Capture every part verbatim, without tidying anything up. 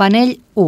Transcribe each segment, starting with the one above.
Panell u.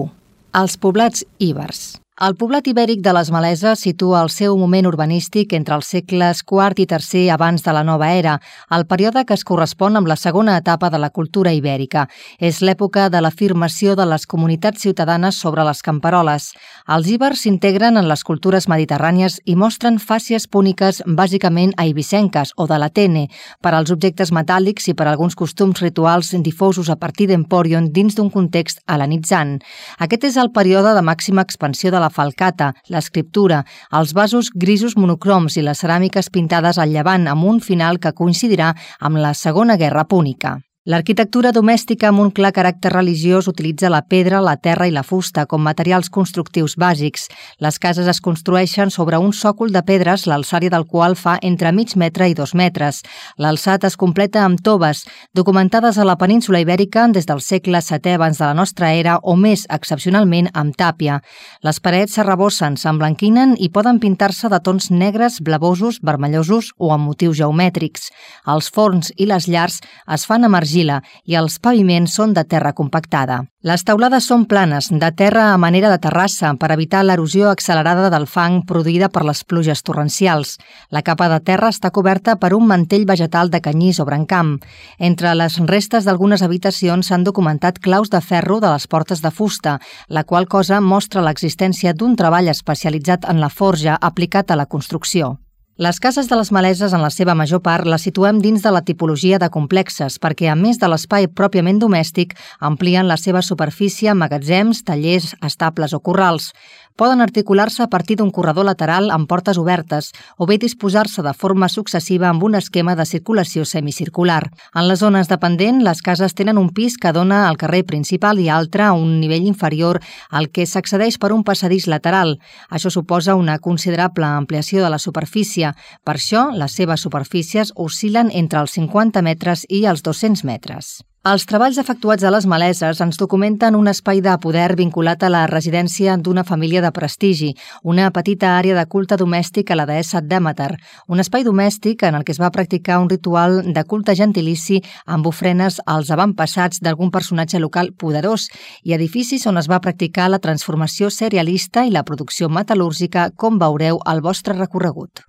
Els poblats ibers. El poblat ibèric de les Maleses situa el seu moment urbanístic entre els segles quart i tercer abans de la nova era, el període que es correspon amb la segona etapa de la cultura ibèrica. És l'època de l'afirmació de les comunitats ciutadanes sobre les camperoles. Els ibers s'integren en les cultures mediterrànies i mostren fàcies púniques bàsicament eivissenques o de l'Atene, per als objectes metàl·lics i per alguns costums rituals difosos a partir d'Empòrion dins d'un context hel·lenitzant. Aquest és el període de màxima expansió de la falcata, l'escriptura, els vasos grisos monocroms i les ceràmiques pintades al llevant amb un final que coincidirà amb la Segona Guerra Púnica. L'arquitectura domèstica amb un clar caràcter religiós utilitza la pedra, la terra i la fusta com materials constructius bàsics. Les cases es construeixen sobre un sòcol de pedres, l'alçària del qual fa entre mig metre i dos metres. L'alçat es completa amb toves, documentades a la península ibèrica des del segle setè abans de la nostra era o més excepcionalment amb tàpia. Les parets s'arrebossen, s'emblanquinen i poden pintar-se de tons negres, blavosos, vermellosos o amb motius geomètrics. Els forns i les llars es fan amb argila i els paviments són de terra compactada. Les teulades són planes, de terra a manera de terrassa, per evitar l'erosió accelerada del fang produïda per les pluges torrencials. La capa de terra està coberta per un mantell vegetal de canyís o brancam. Entre les restes d'algunes habitacions s'han documentat claus de ferro de les portes de fusta, la qual cosa mostra l'existència d'un treball especialitzat en la forja aplicat a la construcció. Les cases de les Maleses, en la seva major part, les situem dins de la tipologia de complexes perquè, a més de l'espai pròpiament domèstic, amplien la seva superfície a magatzems, tallers, estables o corrals. Poden articular-se a partir d'un corredor lateral amb portes obertes o bé disposar-se de forma successiva amb un esquema de circulació semicircular. En les zones dependent, les cases tenen un pis que dona al carrer principal i altre a un nivell inferior al que s'accedeix per un passadís lateral. Això suposa una considerable ampliació de la superfície. Per això, les seves superfícies oscil·len entre els cinquanta metres i els dos-cents metres. Els treballs efectuats a les Maleses ens documenten un espai de poder vinculat a la residència d'una família de prestigi, una petita àrea de culte domèstic a la deessa Dèmeter, un espai domèstic en el que es va practicar un ritual de culte gentilici amb ofrenes als avantpassats d'algun personatge local poderós i edificis on es va practicar la transformació cerealista i la producció metal·lúrgica, com veureu al vostre recorregut.